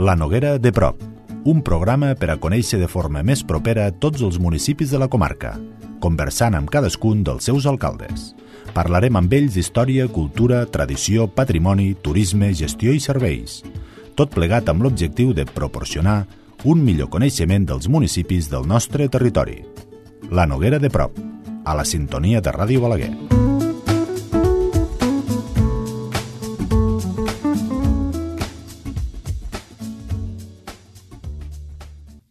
La Noguera de prop, un programa per a conèixer de forma més propera tots els municipis de la comarca, conversant amb cadascun dels seus alcaldes. Parlarem amb ells d'història, cultura, tradició, patrimoni, turisme, gestió i serveis. Tot plegat amb l'objectiu de proporcionar un millor coneixement dels municipis del nostre territori. La Noguera de prop, a la sintonia de Ràdio Balaguer.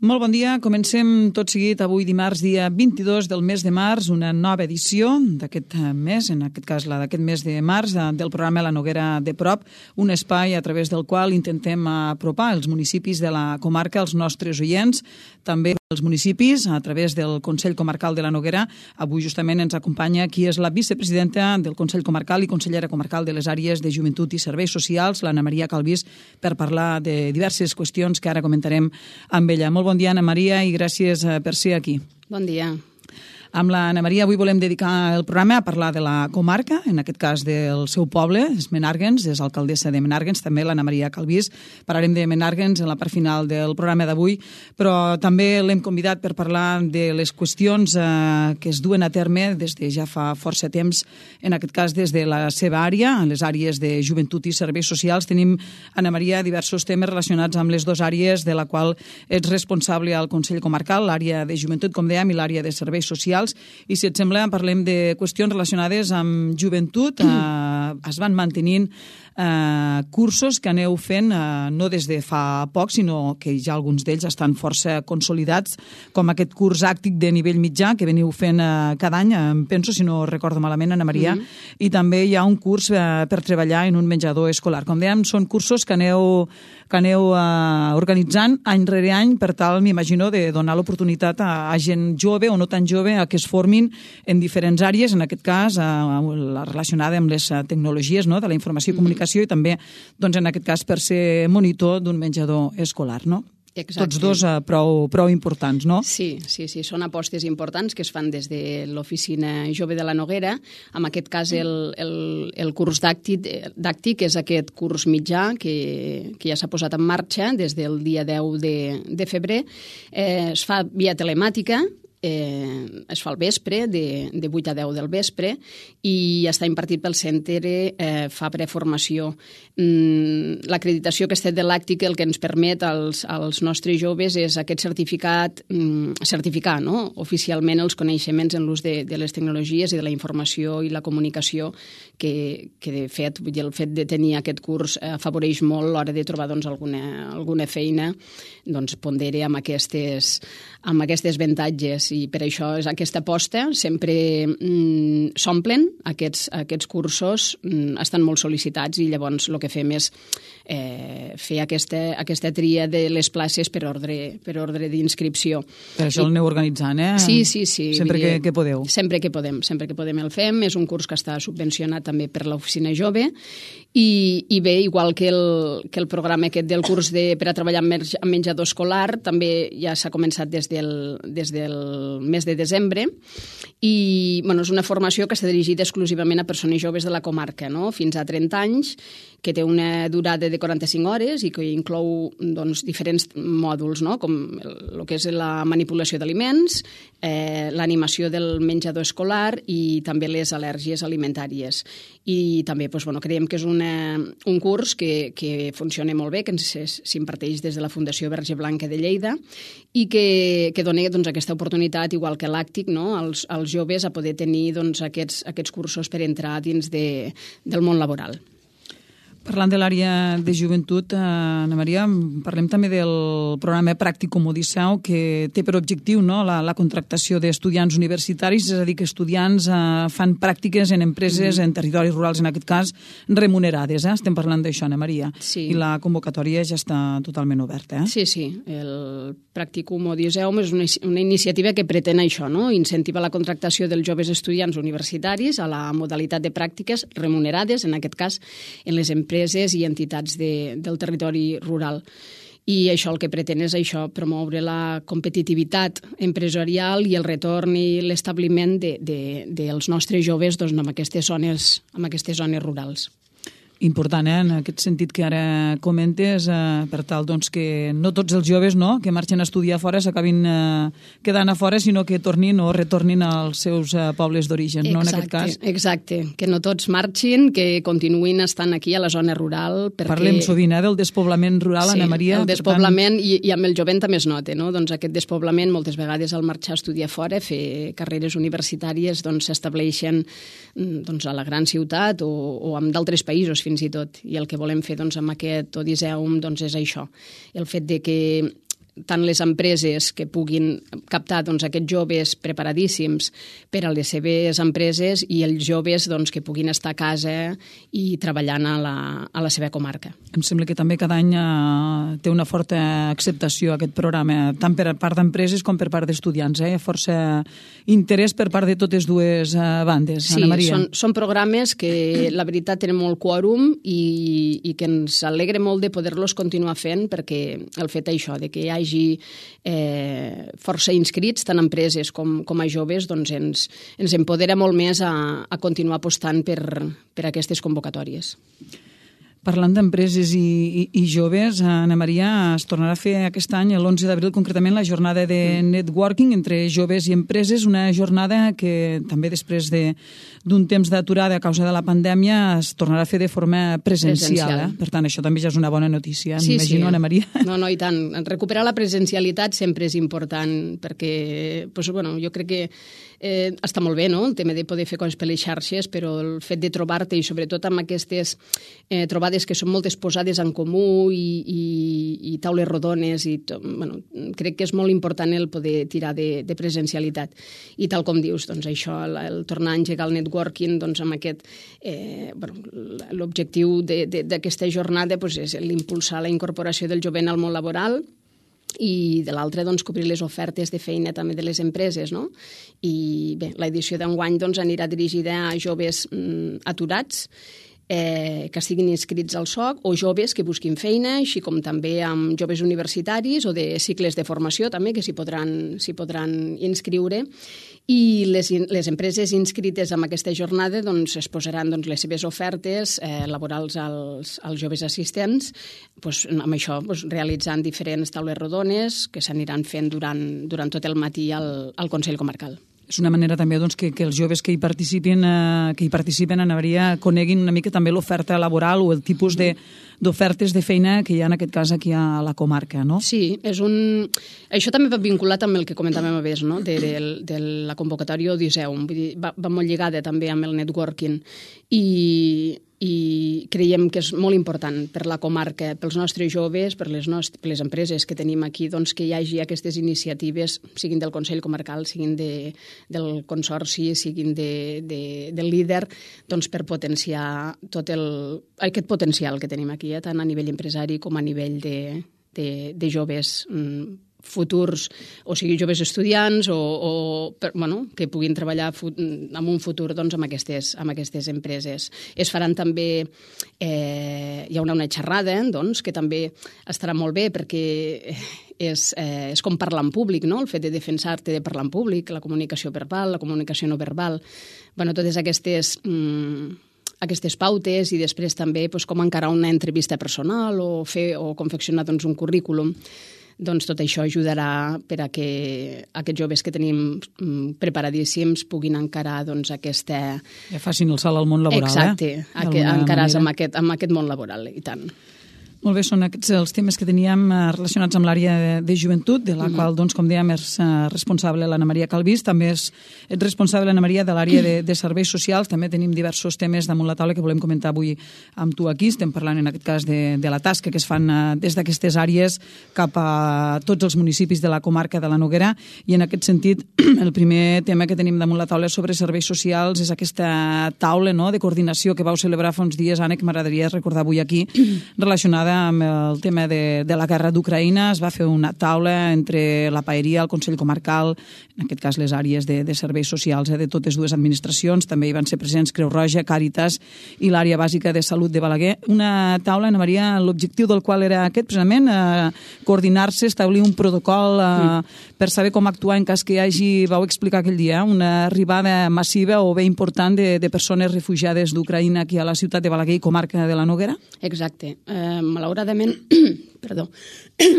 Molt bon dia. Comencem tot seguit avui dimarts, dia 22 del mes de març, una nova edició d'aquest mes, en aquest cas la d'aquest mes de març, del programa La Noguera de prop, un espai a través del qual intentem apropar els municipis de la comarca als nostres oients, també els municipis a través del Consell Comarcal de la Noguera. Avui justament ens acompanya qui és la vicepresidenta del Consell Comarcal i consellera comarcal de les àrees de Joventut i Serveis Socials, l'Anna Maria Calvís, per parlar de diverses qüestions que ara comentarem amb ella. Molt bon dia, Anna Maria, i gràcies per ser aquí. Bon dia. Amb l'Anna Maria avui volem dedicar el programa a parlar de la comarca, en aquest cas del seu poble, és Menàrguens, és alcaldessa de Menàrguens, també l'Anna Maria Calvís. Parlarem de Menàrguens en la part final del programa d'avui, però també l'hem convidat per parlar de les qüestions que es duen a terme des de ja fa força temps, en aquest cas des de la seva àrea, en les àrees de Joventut i Serveis Socials. Tenim, Anna Maria, diversos temes relacionats amb les dues àrees de la qual ets responsable al Consell Comarcal, l'àrea de Joventut, com dèiem, i l'àrea de Serveis Socials. I si et sembla, parlem de qüestions relacionades amb joventut. Es van mantenint cursos que aneu fent no des de fa poc, sinó que ja alguns d'ells estan força consolidats, com aquest curs àctic de nivell mitjà que veniu fent cada any, em penso, si no recordo malament, Anna Maria, i també hi ha un curs per treballar en un menjador escolar. Com dèiem, són cursos que aneu organitzant any rere any per tal, m'imagino, de donar l'oportunitat a gent jove o no tan jove a que es formin en diferents àrees, en aquest cas la relacionada amb les tecnologies, no?, de la informació i comunicació, i també, doncs, en aquest cas, per ser monitor d'un menjador escolar, no? Exacte. Tots dos prou importants, no? Sí, són apostes importants que es fan des de l'Oficina Jove de la Noguera. En aquest cas, el curs dàctic és aquest curs mitjà que ja s'ha posat en marxa des del dia 10 de febrer. Es fa via telemàtica, es fa al vespre, de 8 a 10 del vespre, i està impartit pel Centre Fabra Formació. L'acreditació que està de l'àctic el que ens permet als nostres joves és aquest certificar, no?, oficialment els coneixements en l'ús de les tecnologies i de la informació i la comunicació que de fet, el fet de tenir aquest curs afavoreix molt a l'hora de trobar alguna feina, pondera amb aquestes avantatges, i per això és aquesta aposta. Sempre s'omplen aquests cursos, estan molt sol·licitats, i llavors el que fem és fer aquesta tria de les places per ordre d'inscripció. Per això el aneu organitzant, eh? Sí. Sempre que podeu. Sempre que podem el fem. És un curs que està subvencionat també per l'Oficina Jove, i bé, igual que el programa aquest del curs per a treballar amb menjador escolar, també ja s'ha començat des del mes de desembre, i és una formació que està dirigida exclusivament a persones joves de la comarca, no?, fins a 30 anys, que té una durada de 45 hores i que inclou diferents mòduls, no?, com el que és la manipulació d'aliments, l'animació del menjador escolar i també les al·lèrgies alimentàries. I també creiem que és un curs que funciona molt bé, que s'imparteix des de la Fundació Verge Blanca de Lleida, i que dona aquesta oportunitat, igual que l'àctic, no?, als joves a poder tenir aquests cursos per entrar dins del món laboral. Parlant de l'àrea de joventut, Anna Maria, parlem també del programa Pràcticum Odisseu, que té per objectiu, no?, la contractació d'estudiants universitaris, és a dir, que estudiants fan pràctiques en empreses, en territoris rurals, en aquest cas, remunerades. Estem parlant d'això, Anna Maria. Sí. I la convocatòria ja està totalment oberta. Sí. El Pràcticum Odisseu és una iniciativa que pretén això, no?, incentivar la contractació dels joves estudiants universitaris a la modalitat de pràctiques remunerades, en aquest cas, en les empreses i entitats del territori rural. I això el que pretén és promoure la competitivitat empresarial i el retorn i l'establiment dels nostres joves en aquestes zones rurals. Important, en aquest sentit que ara comentes, per tal doncs, que no tots els joves que marxen a estudiar fora s'acabin quedant a fora, sinó que tornin o retornin als seus pobles d'origen, no, en aquest cas? Exacte, que no tots marxin, que continuïn estant aquí a la zona rural. Perquè... Parlem sovint del despoblament rural, Anna Maria. Sí, el despoblament, i amb el jovent també es nota, no? Doncs aquest despoblament, moltes vegades al marxar a estudiar fora, fer carreres universitàries, doncs s'estableixen a la gran ciutat o en d'altres països fins i tot. I el que volem fer amb aquest Odiseum és això, el fet de que tant les empreses que puguin captar aquests joves preparadíssims per a les seves empreses i els joves que puguin estar a casa i treballant a la seva comarca. Em sembla que també cada any té una forta acceptació aquest programa, tant per part d'empreses com per part d'estudiants. Força interès per part de totes dues bandes, Anna Maria. Sí, són programes que la veritat tenen molt quòrum i que ens alegra molt de poder-los continuar fent, perquè el fet això, de que hi hagi força inscrits, tant empreses com a joves, ens empodera molt més a continuar apostant per aquestes convocatòries. Parlant d'empreses i joves, Anna Maria, es tornarà a fer aquest any, l'11 d'abril concretament, la jornada de networking entre joves i empreses, una jornada que també després d'un temps d'aturada a causa de la pandèmia es tornarà a fer de forma presencial. Per tant, això també ja és una bona notícia, m'imagino, Anna Maria. No, i tant. Recuperar la presencialitat sempre és important, perquè jo crec que està molt bé, no?, el tema de poder fer coses per les xarxes, però el fet de trobar-te, i sobretot amb aquestes trobades que són moltes posades en comú i taules rodones, crec que és molt important el poder tirar de presencialitat. I tal com dius, això, el tornar a engegar el networking, amb aquest... l'objectiu d'aquesta jornada és l'impulsar la incorporació del jovent al món laboral, i de l'altre, cobrir les ofertes de feina també de les empreses, no? I bé, l'edició d'enguany anirà dirigida a joves aturats que estiguin inscrits al SOC o joves que busquin feina, així com també amb joves universitaris o de cicles de formació també que s'hi podran inscriure. I les empreses inscrites en aquesta jornada es posaran les seves ofertes laborals als joves assistents, amb això realitzant diferents taules rodones que s'aniran fent durant tot el matí al Consell Comarcal. És una manera també que els joves que hi participen, Anna Maria, coneguin una mica també l'oferta laboral o el tipus d'ofertes de feina que hi ha en aquest cas aquí a la comarca, no? Sí, això també va vinculat amb el que comentàvem abans, no?, de la convocatòria Odiseum. Vull dir, va molt lligada també amb el networking i creiem que és molt important per la comarca, pels nostres joves, per les empreses que tenim aquí, que hi hagi aquestes iniciatives, siguin del Consell Comarcal, siguin del Consorci, siguin del líder, per potenciar tot aquest potencial que tenim aquí, tant a nivell empresari com a nivell de joves futurs, o sigui, joves estudiants que puguin treballar en un futur amb aquestes empreses. Es faran també, hi haurà una xerrada que també estarà molt bé perquè és com parlar en públic, no?, el fet de defensar-te de parlar en públic, la comunicació verbal, la comunicació no verbal, totes aquestes pautes, i després també com encarar una entrevista personal o confeccionar un currículum. Tot això ajudarà per a que aquests joves que tenim preparadíssims puguin encarar aquesta... Ja facin el salt al món laboral, Exacte, encarats amb aquest món laboral, i tant. Molt bé, són aquests els temes que teníem relacionats amb l'àrea de joventut, de la qual, com dèiem, és responsable l'Anna Maria Calvís. També ets responsable, Anna Maria, de l'àrea de serveis socials. També tenim diversos temes damunt la taula que volem comentar avui amb tu aquí. Estem parlant, en aquest cas, de la tasca que es fan des d'aquestes àrees cap a tots els municipis de la comarca de la Noguera. I, en aquest sentit, el primer tema que tenim damunt la taula sobre serveis socials és aquesta taula de coordinació que vau celebrar fa uns dies, Anna, que m'agradaria recordar avui aquí, relacionada relacionada amb el tema de la guerra d'Ucraïna. Es va fer una taula entre la Paeria, el Consell Comarcal, en aquest cas les àrees de serveis socials de totes dues administracions. També hi van ser presents Creu Roja, Càritas i l'àrea bàsica de salut de Balaguer. Una taula, Ana Maria, l'objectiu del qual era aquest, precisament, coordinar-se, establir un protocol per saber com actuar en cas que hi hagi, vau explicar aquell dia, una arribada massiva o bé important de persones refugiades d'Ucraïna aquí a la ciutat de Balaguer i comarca de la Noguera? Exacte. Malauradament,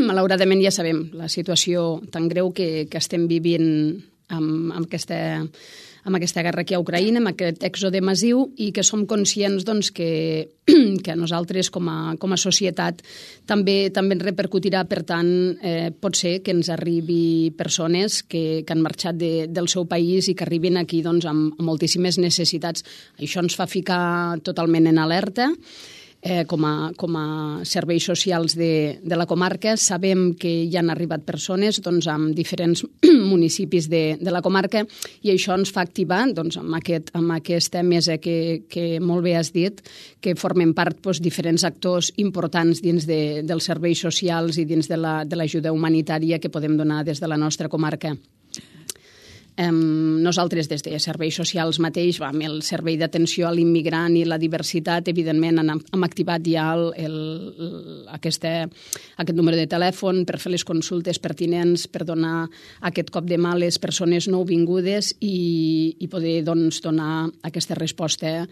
malauradament ja sabem la situació tan greu que estem vivint amb aquesta guerra aquí a Ucraïna, amb aquest èxode massiu, i que som conscients doncs, que nosaltres com a societat també ens repercutirà. Per tant, pot ser que ens arribi persones que han marxat del seu país i que arribin aquí doncs, amb moltíssimes necessitats. Això ens fa ficar totalment en alerta. Com a serveis socials de la comarca. Sabem que hi han arribat persones doncs, amb diferents municipis de la comarca, i això ens fa activar doncs, amb aquesta mesa que molt bé has dit, que formen part doncs, diferents actors importants dins dels serveis socials i dins de l'ajuda humanitària que podem donar des de la nostra comarca. Nosaltres, des de serveis socials mateix, amb el servei d'atenció a l'immigrant i la diversitat, evidentment hem activat ja aquest número de telèfon per fer les consultes pertinents, per donar aquest cop de mà a les persones nouvingudes i poder doncs, donar aquesta resposta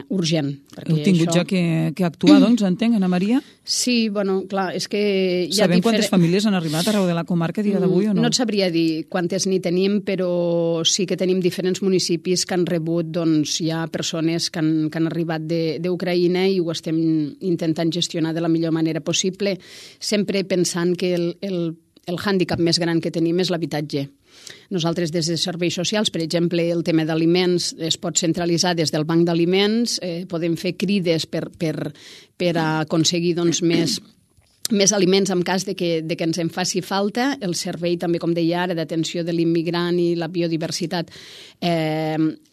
urgent. Heu tingut ja que actuar, doncs, entenc, Ana Maria? Sí, bueno, clar, és que... Sabem quantes famílies han arribat arreu de la comarca a dia d'avui o no? No et sabria dir quantes n'hi tenim, però sí que tenim diferents municipis que han rebut doncs, ja persones que han arribat d'Ucraïna i ho estem intentant gestionar de la millor manera possible, sempre pensant que el hàndicap més gran que tenim és l'habitatge. Nosaltres, des de serveis socials, per exemple, el tema d'aliments es pot centralitzar des del banc d'aliments, podem fer crides per aconseguir doncs, més aliments en cas de que ens en faci falta. El servei, també, com deia ara, d'atenció de l'immigrant i la biodiversitat, les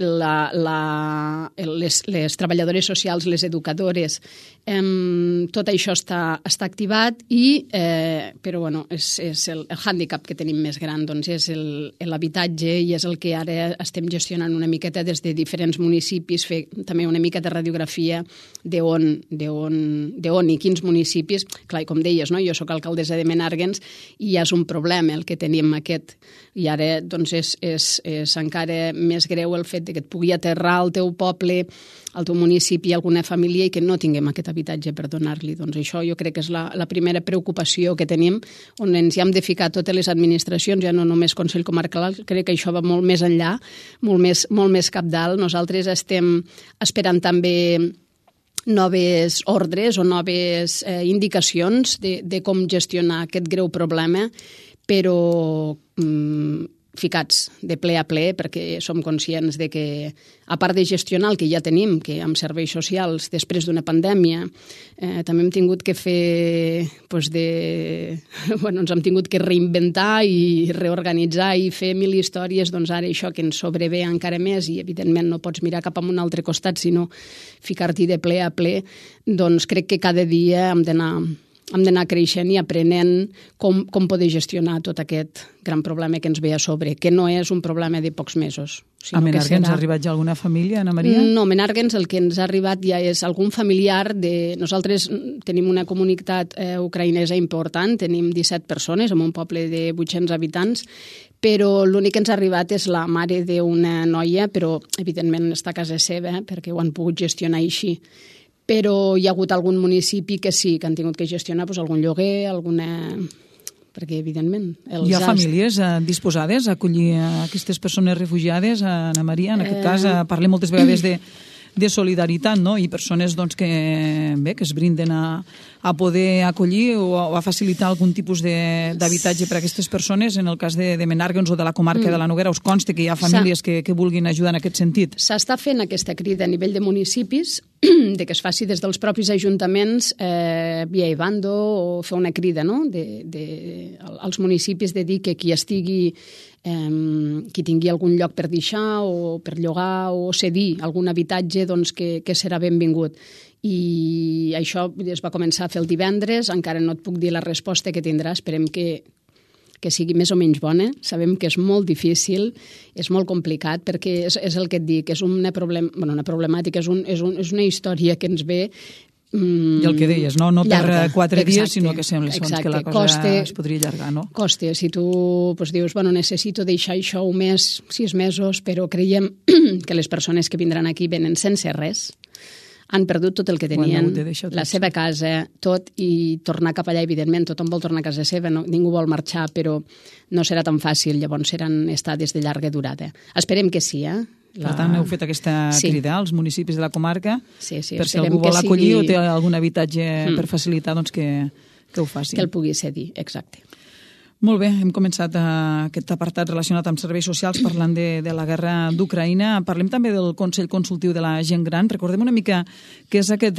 treballadores socials, les educadores, tot això està activat, però bueno, és el hàndicap que tenim més gran, doncs és l'habitatge, i és el que ara estem gestionant una miqueta des de diferents municipis, fer també una mica de radiografia d'on i quins municipis. Clar, i com deies, no? Jo sóc alcaldessa de Menàrguens i ja és un problema el que tenim aquest. I ara doncs, és encara més greu el fet que et pugui aterrar al teu poble, al teu municipi, alguna família i que no tinguem aquest habitatge per donar-li. Doncs això jo crec que és la primera preocupació que tenim, on ens hi hem de ficar totes les administracions, ja no només Consell Comarcal, crec que això va molt més enllà, molt més cabdal. Nosaltres estem esperant també noves ordres o noves indicacions de com gestionar aquest greu problema, però ficats de ple a ple, perquè som conscients de que, a part de gestionar el que ja tenim, que amb serveis socials, després d'una pandèmia, també hem tingut que fer, ens hem tingut que reinventar i reorganitzar i fer mil històries, doncs ara això que ens sobrevé encara més, i evidentment no pots mirar cap a un altre costat, sinó ficar-t'hi de ple a ple, doncs crec que cada dia hem d'anar creixent i aprenent com poder gestionar tot aquest gran problema que ens ve a sobre, que no és un problema de pocs mesos. A Menàrguens ha arribat ja alguna família, Ana Maria? No, a Menàrguens el que ens ha arribat ja és algun familiar de... Nosaltres tenim una comunitat ucraïnesa important, tenim 17 persones en un poble de 800 habitants, però l'únic que ens ha arribat és la mare d'una noia, però evidentment està a casa seva, perquè ho han pogut gestionar així. Però hi ha hagut algun municipi que sí, que han tingut que gestionar algun lloguer, perquè, evidentment... Hi ha famílies disposades a acollir aquestes persones refugiades, Ana Maria? En aquest cas parlem moltes vegades de solidaritat, no? I persones doncs, que es brinden a poder acollir o a facilitar algun tipus d'habitatge per a aquestes persones. En el cas de Menàrguens o de la comarca de la Noguera, us consta que hi ha famílies que vulguin ajudar en aquest sentit? S'està fent aquesta crida a nivell de municipis, de que es faci des dels propis ajuntaments via Ivando, o fer una crida, no? als municipis de dir que qui estigui qui tingui algun lloc per deixar o per llogar o cedir algun habitatge, doncs que serà benvingut. I això es va començar a fer el divendres, encara no et puc dir la resposta que tindrà, esperem que sigui més o menys bona. Sabem que és molt difícil, és molt complicat, perquè és el que et dic, és una problemàtica, és una història que ens ve... I el que deies, no per 4 dies, sinó que sembla que la cosa es podria allargar, no? Costa, si tu dius, necessito deixar això un mes, 6 mesos, però creiem que les persones que vindran aquí venen sense res, han perdut tot el que tenien, la seva casa, tot, i tornar cap allà, evidentment, tothom vol tornar a casa seva, ningú vol marxar, però no serà tan fàcil, llavors seran estades de llarga durada. Esperem que sí, Per tant, heu fet aquesta crida als municipis de la comarca, per si algú vol que acollir o té algun habitatge per facilitar, doncs que ho faci. Que el pugui cedir, exacte. Molt bé, hem començat aquest apartat relacionat amb serveis socials parlant de la guerra d'Ucraïna. Parlem també del Consell Consultiu de la Gent Gran. Recordem una mica què és aquest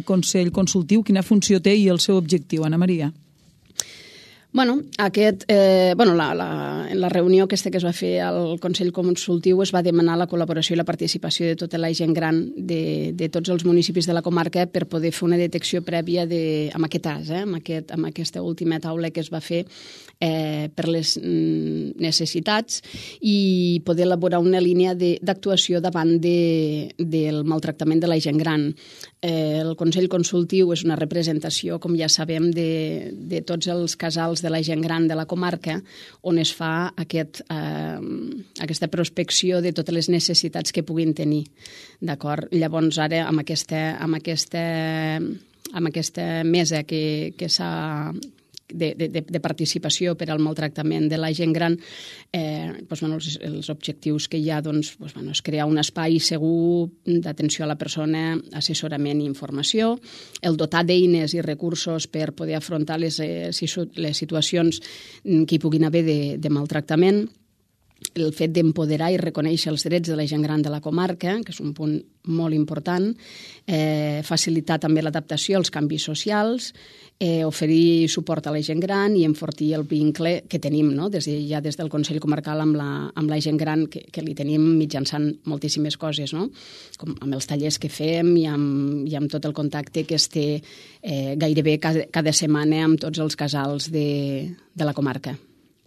Consell Consultiu, quina funció té i el seu objectiu, Ana Maria. En la reunió aquesta que es va fer al Consell Consultiu es va demanar la col·laboració i la participació de tota la gent gran de tots els municipis de la comarca per poder fer una detecció prèvia amb aquest cas, amb aquesta última taula que es va fer per les necessitats i poder elaborar una línia d'actuació davant del maltractament de la gent gran. El Consell Consultiu és una representació, com ja sabem, de tots els casals de la gent gran de la comarca, on es fa aquesta prospecció de totes les necessitats que puguin tenir. D'acord? Llavors, ara, amb aquesta mesa que s'ha de participació per al maltractament de la gent gran, els objectius que hi ha és crear un espai segur d'atenció a la persona, assessorament i informació, el dotar d'eines i recursos per poder afrontar les situacions que hi puguin haver de maltractament, el fet d'empoderar i reconèixer els drets de la gent gran de la comarca, que és un punt molt important, facilitar també l'adaptació als canvis socials, oferir suport a la gent gran i enfortir el vincle que tenim, des del Consell Comarcal amb la gent gran, que li tenim mitjançant moltíssimes coses, com amb els tallers que fem i amb tot el contacte que es té gairebé cada setmana amb tots els casals de la comarca.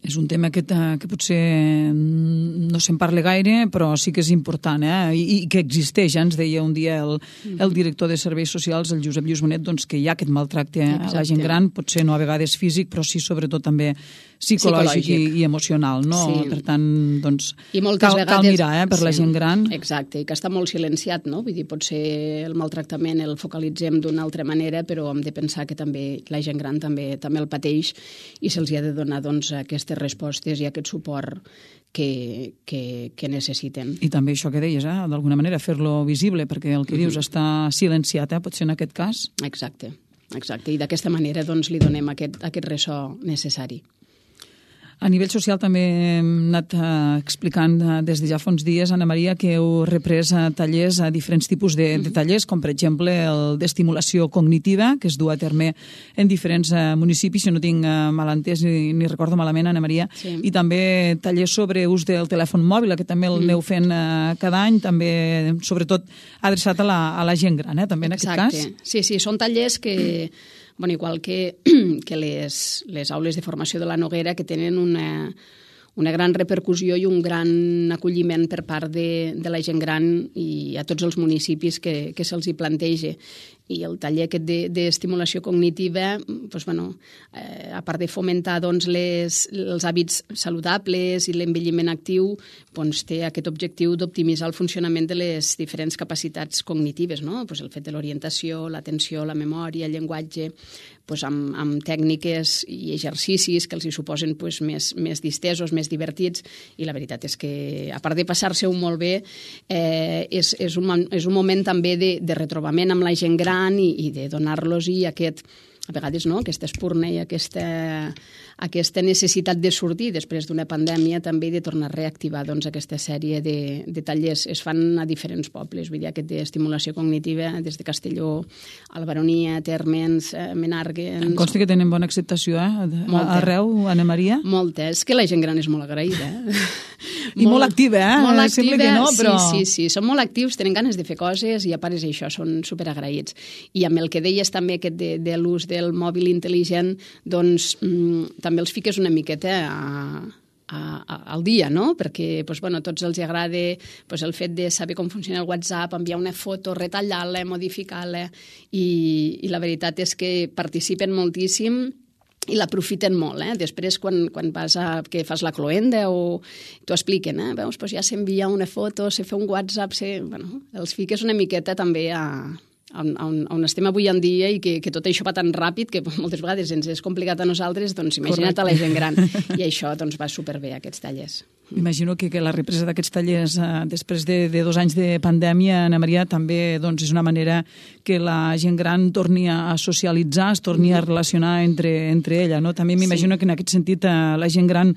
És un tema que potser no se'n parla gaire, però sí que és important, i que existeix. Ens deia un dia el director de Serveis Socials, el Josep Lluís Bonet, que hi ha aquest maltracte a la gent gran, potser no a vegades físic, però sí sobretot també psicològic i emocional, no? Sí. Per tant, cal mirar per la gent gran. Exacte, i que està molt silenciat, no? Vull dir, potser el maltractament el focalitzem d'una altra manera, però hem de pensar que també la gent gran també el pateix i se'ls ha de donar aquestes respostes i aquest suport que necessiten. I també això que deies, d'alguna manera fer-lo visible, perquè el que dius està silenciat, potser en aquest cas. Exacte, i d'aquesta manera li donem aquest ressò necessari. A nivell social també hem anat explicant des de ja fa uns dies, Ana Maria, que heu reprès tallers, diferents tipus de tallers, com per exemple el d'estimulació cognitiva, que es du a terme en diferents municipis, si no tinc mal entès ni recordo malament, Ana Maria, i també tallers sobre ús del telèfon mòbil, que també el aneu fent cada any, també sobretot adreçat a la gent gran, també en aquest cas. Sí, són tallers que... igual que les aules de formació de la Noguera, que tenen una gran repercussió i un gran acolliment per part de la gent gran i a tots els municipis que se'ls hi planteja. I el taller aquest d'estimulació cognitiva, a part de fomentar els hàbits saludables i l'envelliment actiu, té aquest objectiu d'optimitzar el funcionament de les diferents capacitats cognitives, el fet de l'orientació, l'atenció, la memòria, el llenguatge, amb tècniques i exercicis que els hi suposen més distesos, més divertits, i la veritat és que, a part de passar-se-ho molt bé, és un moment també de retrobament amb la gent gran i de donar-los aquest a vegades no, aquesta espurna i aquesta necessitat de sortir després d'una pandèmia també de tornar a reactivar doncs, aquesta sèrie de tallers. Es fan a diferents pobles, vull dir, aquest d'estimulació cognitiva des de Castelló, Albaronia, Térmens, Menàrguens... Em consta que tenen bona acceptació, arreu, Anna Maria? Molta. És que la gent gran és molt agraïda. I molt activa, Molt activa, sembla que no, però... Sí, són molt actius, tenen ganes de fer coses i a part és això, són superagraïts. I amb el que deies també aquest de l'ús del mòbil intel·ligent, doncs també els fiques una miqueta al dia, no? Perquè tots els agrada el fet de saber com funciona el WhatsApp, enviar una foto, retallar-la, modificar-la, i la veritat és que participen moltíssim i l'aprofiten molt. Després, quan vas que fas la cloenda o t'ho expliquen, veus, ja s'envia una foto, se fa un WhatsApp, els fiques una miqueta també on estem avui en dia i que tot això va tan ràpid que moltes vegades ens és complicat a nosaltres, doncs imagina't a la gent gran. I això doncs, va superbé, aquests tallers. Imagino que la represa d'aquests tallers després de 2 anys de pandèmia, Anna Maria, també és una manera que la gent gran torni a socialitzar, es torni a relacionar entre ella. També m'imagino que en aquest sentit la gent gran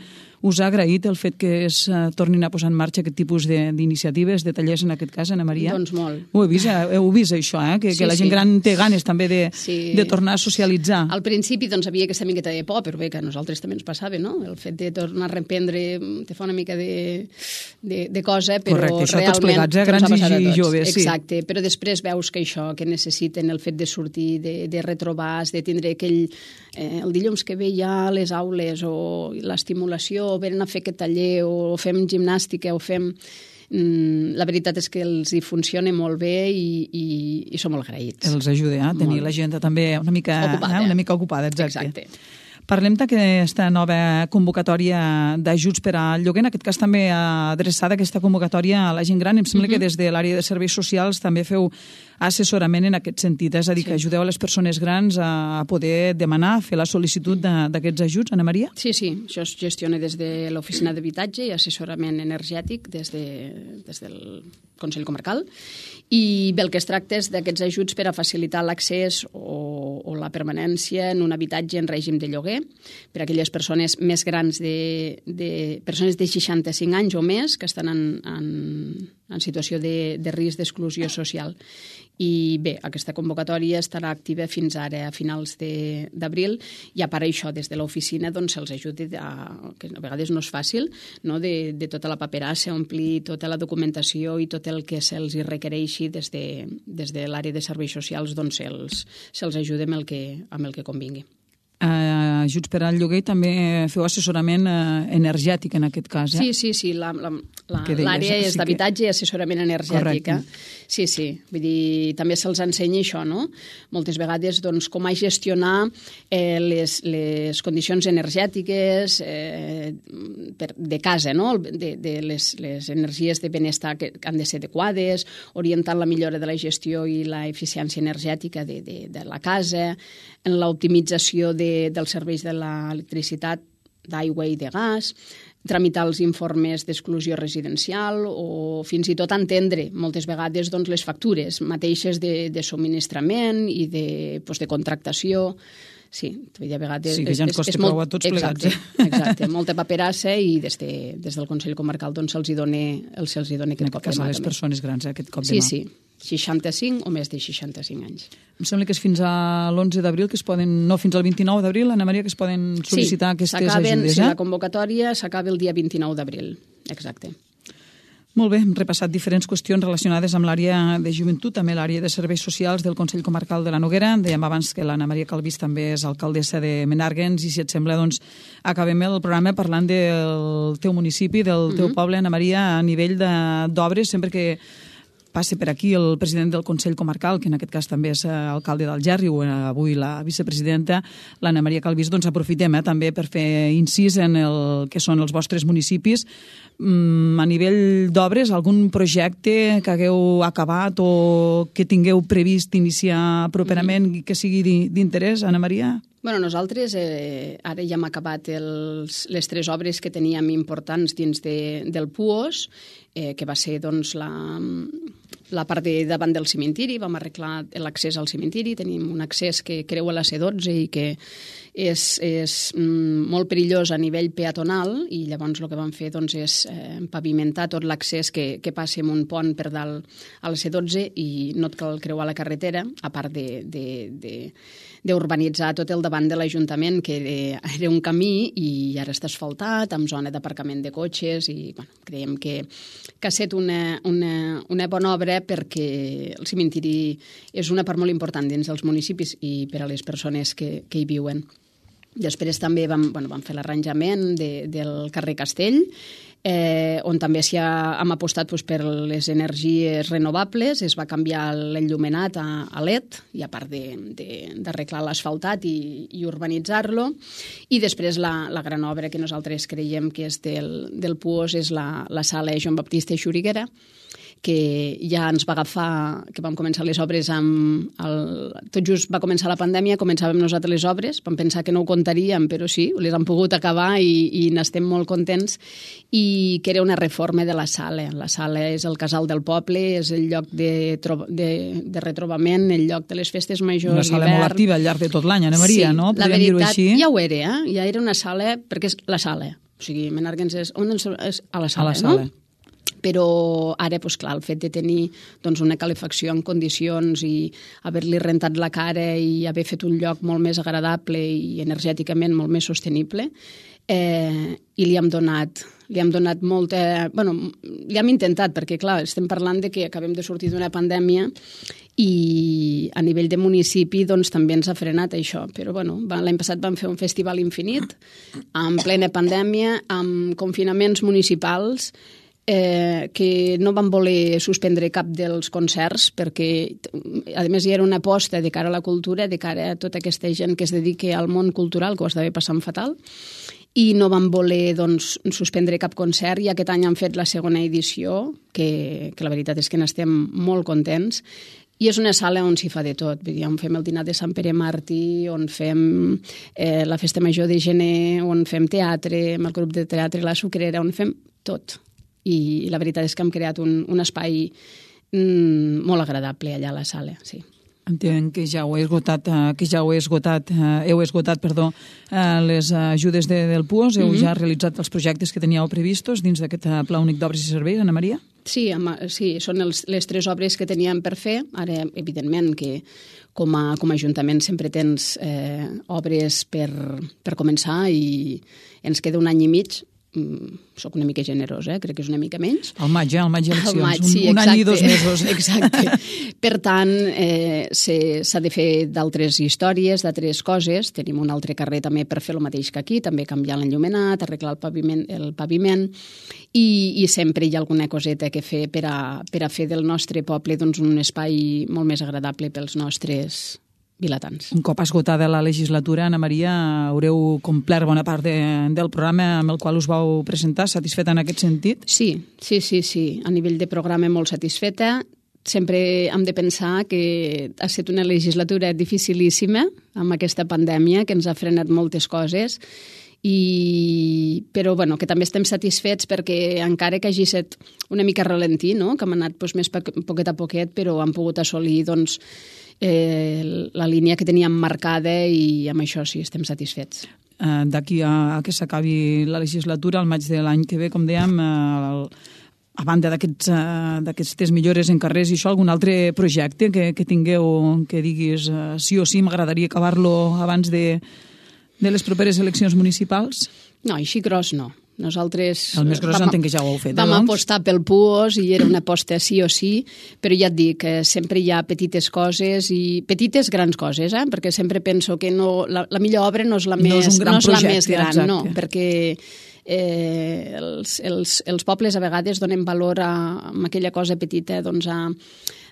us ha agraït el fet que es tornin a posar en marxa aquest tipus d'iniciatives, de tallers en aquest cas, Anna Maria? Doncs molt. Heu vist això, que la gent gran té ganes també de tornar a socialitzar. Al principi havia aquesta miqueta de por, però bé, que a nosaltres també ens passava, no? El fet de tornar a reprendre te fa una mica de cosa, però correcte, això realment... tots plegats, grans i joves, sí. Exacte, però després veus que això, que necessiten el fet de sortir, de retrobar, de tindre aquell... el dilluns que ve ja les aules o l'estimulació, o venen a fer aquest taller, o fem gimnàstica, o fem... La veritat és que els hi funciona molt bé i som molt agraïts. Els ajuda a tenir l'agenda també una mica ocupada. Exacte. Parlem d'aquesta nova convocatòria d'ajuts per al lloguer, en aquest cas també adreçada aquesta convocatòria a la gent gran. Em sembla que des de l'àrea de serveis socials també feu assessorament en aquest sentit, és a dir, que ajudeu a les persones grans a poder demanar, fer la sol·licitud d'aquests ajuts. Anna Maria? Sí, això es gestiona des de l'oficina d'habitatge i assessorament energètic des del Consell Comarcal, i bé, el que es tracta és d'aquests ajuts per a facilitar l'accés o la permanència en un habitatge en règim de lloguer per a aquelles persones més grans persones de 65 anys o més que estan en situació de risc d'exclusió social. I bé, aquesta convocatòria estarà activa fins ara, a finals d'abril, i a part això, des de l'oficina se'ls ajudi, que a vegades no és fàcil, no? de tota la paperassa, omplir tota la documentació i tot el que se'ls requereixi des de l'àrea de serveis socials, doncs se'ls ajuda amb el que convingui. Ajuts per al lloguer i també feu assessorament energètic en aquest cas, Sí, l'àrea és d'habitatge i assessorament energètic. Sí, vull dir, també se'ls ensenya això, no? Moltes vegades, doncs, com a gestionar les condicions energètiques de casa, no? De les energies de benestar que han de ser adequades, orientant la millora de la gestió i l'eficiència energètica de la casa, en l'optimització dels serveis de l'electricitat, d'aigua i de gas, tramitar els informes d'exclusió residencial o fins i tot entendre moltes vegades les factures mateixes de subministrament i de contractació. Sí, a vegades... Sí, que ja ens costa prou a tots plegats. Exacte, molta paperassa i des del Consell Comarcal se'ls dona aquest cop de mà. A les persones grans, aquest cop de mà. Sí, 65 o més de 65 anys. Em sembla que és fins a l'11 d'abril que es poden, no, fins al 29 d'abril, Anna Maria, que es poden sol·licitar aquestes ajudes. Sí, la convocatòria s'acaba el dia 29 d'abril, exacte. Molt bé, hem repassat diferents qüestions relacionades amb l'àrea de joventut, també l'àrea de serveis socials del Consell Comarcal de la Noguera. Dèiem abans que l'Anna Maria Calvís també és alcaldessa de Menàrguens i, si et sembla, doncs, acabem el programa parlant del teu municipi, del teu poble, Anna Maria, a nivell d'obres, sempre que passa per aquí el president del Consell Comarcal, que en aquest cas també és alcalde d'Algerri, o avui la vicepresidenta, l'Anna Maria Calvís, doncs aprofitem també per fer incís en el que són els vostres municipis. A nivell d'obres, algun projecte que hagueu acabat o que tingueu previst iniciar properament i que sigui d'interès, Anna Maria? Bueno, nosaltres ara ja hem acabat les 3 obres que teníem importants dins del PUOS, que va ser doncs, la part de davant del cimentiri, vam arreglar l'accés al cimentiri, tenim un accés que creua la C12 i que és molt perillós a nivell peatonal, i llavors el que vam fer doncs, és pavimentar tot l'accés que passi amb un pont per dalt a la C12 i no et cal creuar la carretera, a part d'urbanitzar tot el davant de l'Ajuntament, que era un camí i ara està asfaltat, amb zona d'aparcament de cotxes, i creiem que ha estat una bona obra perquè el cimentiri és una part molt important dins dels municipis i per a les persones que hi viuen. Després també vam fer l'arranjament del carrer Castell, on també hem apostat per les energies renovables, es va canviar l'enllumenat a LED, i a part d'arreglar l'asfaltat i urbanitzar-lo. I després la gran obra que nosaltres creiem que és del Puos és la sala Joan Baptista Xuriguera, que ja ens va agafar, que vam començar les obres tot just va començar la pandèmia, començàvem nosaltres les obres, vam pensar que no ho comptaríem, però sí, les hem pogut acabar i n'estem molt contents, i que era una reforma de la sala. La sala és el casal del poble, és el lloc de retrobament, el lloc de les festes majors. Una sala molt activa al llarg de tot l'any, Ana Maria, sí, no? La veritat, ja ho era, ja era una sala, perquè és la sala. O sigui, Menàrguens és a la sala, no? Però ara, clar, el fet de tenir una calefacció en condicions i haver-li rentat la cara i haver fet un lloc molt més agradable i energèticament molt més sostenible, i li hem donat molta... li hem intentat, perquè, clar, estem parlant de que acabem de sortir d'una pandèmia i a nivell de municipi també ens ha frenat això. Però l'any passat vam fer un festival infinit, en plena pandèmia, amb confinaments municipals, que no van voler suspendre cap dels concerts perquè, a més, hi era una aposta de cara a la cultura, de cara a tota aquesta gent que es dedica al món cultural, que ho estava passant fatal, i no van voler suspendre cap concert, i aquest any han fet la segona edició, que la veritat és que n'estem molt contents, i és una sala on s'hi fa de tot. On fem el dinar de Sant Pere Màrtir, on fem la festa major de gener, on fem teatre, amb el grup de teatre La Sucrera, on fem tot. I la veritat és que hem creat un espai molt agradable allà a la sala, sí. Entenc que ja heu esgotat les ajudes del Puos, heu ja realitzat els projectes que teníeu previstos dins d'aquest Pla Únic d'Obres i Serveis, Ana Maria? Sí, són les 3 obres que teníem per fer. Ara, evidentment, que com a Ajuntament sempre tens obres per començar i ens queda un any i mig. Soc una mica generós, crec que és una mica menys. Al maig eleccions, sí, un any i 2 mesos. Exacte. Per tant, s'ha de fer d'altres històries, d'altres coses. Tenim un altre carrer també per fer el mateix que aquí, també canviar l'enllumenat, arreglar el paviment, i sempre hi ha alguna coseta que fer per a fer del nostre poble un espai molt més agradable pels nostres vilatans. Un cop esgotada la legislatura, Ana Maria, haureu complert bona part del programa amb el qual us vau presentar. Satisfeta en aquest sentit? Sí. A nivell de programa molt satisfeta. Sempre hem de pensar que ha estat una legislatura dificilíssima amb aquesta pandèmia, que ens ha frenat moltes coses, però que també estem satisfets perquè encara que hagi estat una mica ralentí, no? Que hem anat més poquet a poquet, però hem pogut assolir la línia que teníem marcada, i amb això sí, estem satisfets. D'aquí a que s'acabi la legislatura, al maig de l'any que ve, com dèiem, a banda d'aquestes millores en carrers i això, algun altre projecte que tingueu, que diguis sí o sí, m'agradaria acabar-lo abans de les properes eleccions municipals? No, així gros no. Nosaltres el més gros entenc que ja ho heu fet. Vam apostar pel Puos i era una aposta sí o sí, però ja et dic, sempre hi ha petites coses i petites grans coses, perquè sempre penso que la millor obra no és la més gran, no, perquè els pobles a vegades donen valor a aquella cosa petita,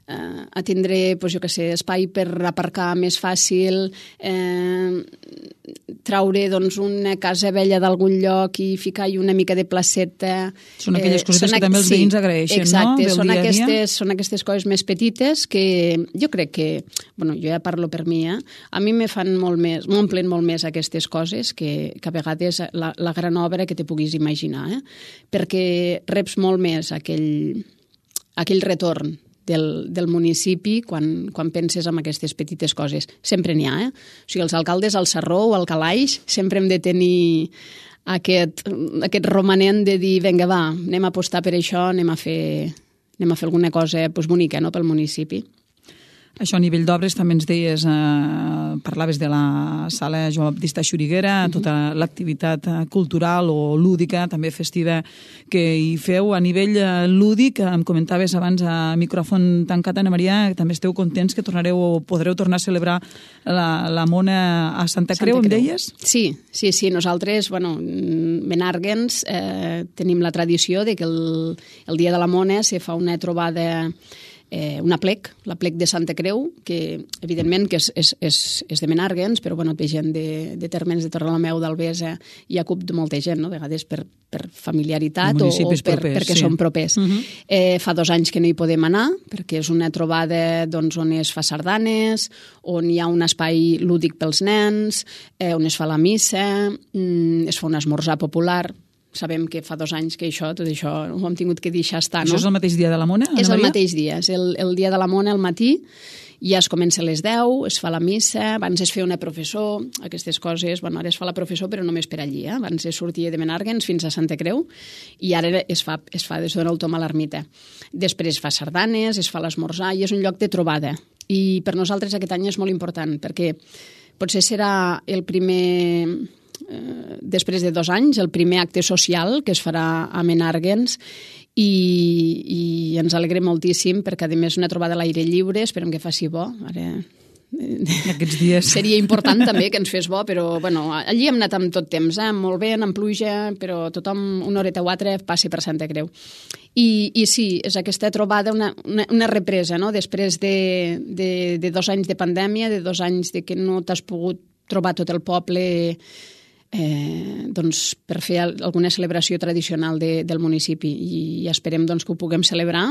a tindre, espai per aparcar més fàcil, traure una casa vella d'algun lloc i ficar-hi una mica de placeta. Són aquelles coses que també els veïns agraeixen, no? Exacte, són aquestes coses més petites que jo crec que, jo ja parlo per mi, a mi m'omplen molt més aquestes coses que a vegades la gran obra que te puguis imaginar, perquè reps molt més aquell retorn del municipi quan penses en aquestes petites coses. Sempre n'hi ha, O sigui, els alcaldes al Sarró o al Calaix sempre hem de tenir aquest romanent de dir, vinga, va, anem a apostar per això, anem a fer alguna cosa bonica, no?, pel municipi. Això a nivell d'obres també ens deies, parlaves de la sala Joan Baptista Xuriguera, tota l'activitat cultural o lúdica, també festiva, que hi feu. A nivell lúdic, em comentaves abans a micròfon tancat, Ana Maria, que també esteu contents que podreu tornar a celebrar la Mona a Santa Creu, em deies? Sí. Nosaltres, Menàrguens, tenim la tradició de que el dia de la Mona se fa una trobada, una plec, la plec de Santa Creu, que evidentment que és de Menàrguens, però ve gent de termes de Torrelameu, d'Albesa, hi ha CUP de molta gent, no? A vegades per familiaritat o perquè són propers. Fa 2 anys que no hi podem anar, perquè és una trobada on es fa sardanes, on hi ha un espai lúdic pels nens, on es fa la missa, es fa un esmorzar popular. Sabem que fa 2 anys que tot això ho hem tingut que deixar estar, no? Això és el mateix dia de la Mona, Ana Maria? És el mateix dia, és el dia de la Mona al matí, ja es comença a les 10, es fa la missa, abans es feia una professó, aquestes coses, ara es fa la professó però només per allí, abans es sortia de Menàrguens fins a Santa Creu i ara es fa des del tom a l'ermita. Després es fa sardanes, es fa l'esmorzar i és un lloc de trobada. I per nosaltres aquest any és molt important perquè potser serà el primer... després de 2 anys, el primer acte social que es farà a Menàrguens i ens alegrem moltíssim perquè, a més, una trobada a l'aire lliure, esperem que faci bo. Ara aquests dies seria important també que ens fes bo, però allí hem anat amb tot temps, molt bé, amb pluja, però tothom una horeta o altra passi per Santa Creu. I sí, és aquesta trobada, una represa, no? Després de 2 anys de pandèmia, de 2 anys de que no t'has pogut trobar tot el poble per fer alguna celebració tradicional del municipi i esperem que ho puguem celebrar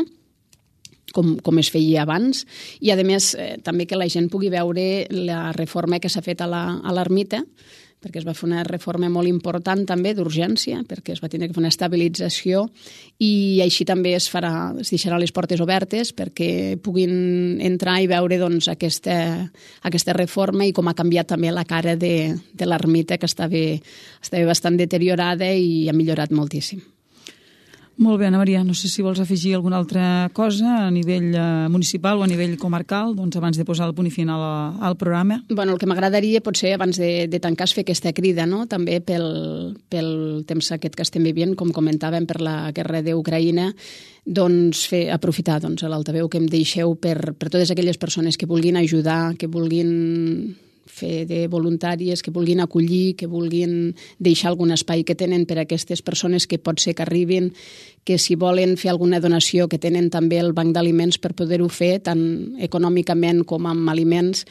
com es feia abans i a més també que la gent pugui veure la reforma que s'ha fet a l'ermita, perquè es va fer una reforma molt important també d'urgència, perquè es va tenir que fer una estabilització i així també es deixarà les portes obertes perquè puguin entrar i veure aquesta reforma i com ha canviat també la cara de l'ermita, que estava bastant deteriorada i ha millorat moltíssim. Molt bé, Ana Maria, no sé si vols afegir alguna altra cosa a nivell municipal o a nivell comarcal, abans de posar el punt final al programa. El que m'agradaria potser abans de tancar és fer aquesta crida, no? També pel temps aquest que estem vivint, com comentàvem, per la guerra d'Ucraïna, aprofitar l'altaveu que em deixeu per totes aquelles persones que vulguin ajudar, que vulguin fer de voluntàries, que vulguin acollir, que vulguin deixar algun espai que tenen per a aquestes persones que pot ser que arribin, que si volen fer alguna donació, que tenen també el banc d'aliments per poder-ho fer, tant econòmicament com amb aliments,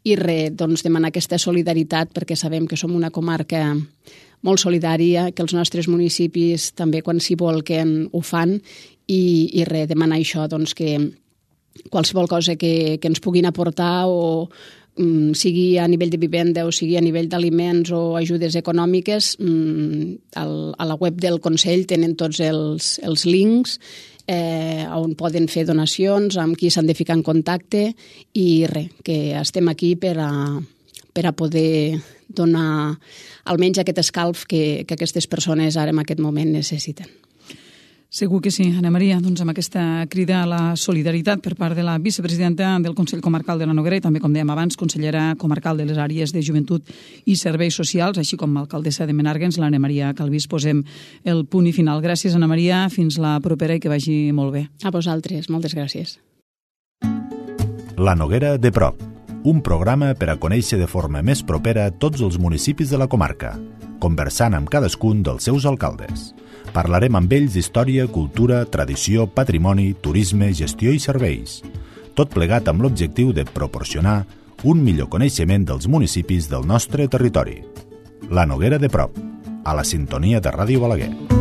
i demanar aquesta solidaritat, perquè sabem que som una comarca molt solidària, que els nostres municipis també quan s'hi volquen ho fan, i demanar això, que qualsevol cosa que ens puguin aportar o sigui a nivell de vivenda o sigui a nivell d'aliments o ajudes econòmiques, a la web del Consell tenen tots els links on poden fer donacions, amb qui s'han de ficar en contacte i que estem aquí per a poder donar almenys aquest escalf que aquestes persones ara en aquest moment necessiten. Segur que sí, Ana Maria, amb aquesta crida a la solidaritat per part de la vicepresidenta del Consell Comarcal de la Noguera i també, com dèiem abans, consellera comarcal de les àrees de joventut i serveis socials, així com l'alcaldessa de Menàrguens, l'Anna Maria Calvís, posem el punt i final. Gràcies, Ana Maria, fins la propera i que vagi molt bé. A vosaltres, moltes gràcies. La Noguera de prop, un programa per a conèixer de forma més propera tots els municipis de la comarca, conversant amb cadascun dels seus alcaldes. Parlarem amb ells d'història, cultura, tradició, patrimoni, turisme, gestió i serveis. Tot plegat amb l'objectiu de proporcionar un millor coneixement dels municipis del nostre territori. La Noguera de prop, a la sintonia de Ràdio Balaguer.